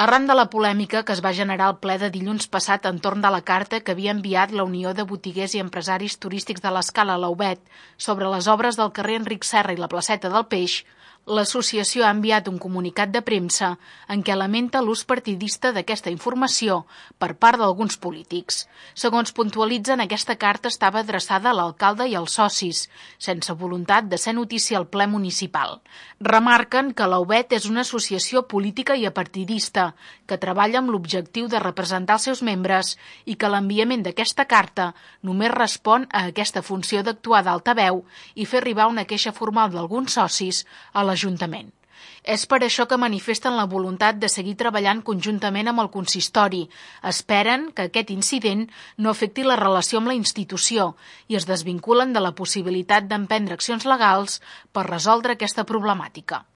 Arran de la polèmica que es va generar al ple de dilluns passat entorn de la carta que havia enviat la Unió de Botiguers i Empresaris Turístics de l'Escala, la UBET, sobre les obres del carrer Enric Serra i la placeta del Peix, l'associació ha enviat un comunicat de premsa en què lamenta l'ús partidista d'aquesta informació per part d'alguns polítics. Segons puntualitzen, aquesta carta estava adreçada a l'alcalde i als socis, sense voluntat de ser notícia al ple municipal. Remarquen que la UBET és una associació política i apartidista que treballa amb l'objectiu de representar els seus membres i que l'enviament d'aquesta carta només respon a aquesta funció d'actuar d'altaveu i fer arribar una queixa formal d'alguns socis a l'Ajuntament. És per això que manifesten la voluntat de seguir treballant conjuntament amb el consistori. Esperen que aquest incident no afecti la relació amb la institució i es desvinculen de la possibilitat d'emprendre accions legals per resoldre aquesta problemàtica.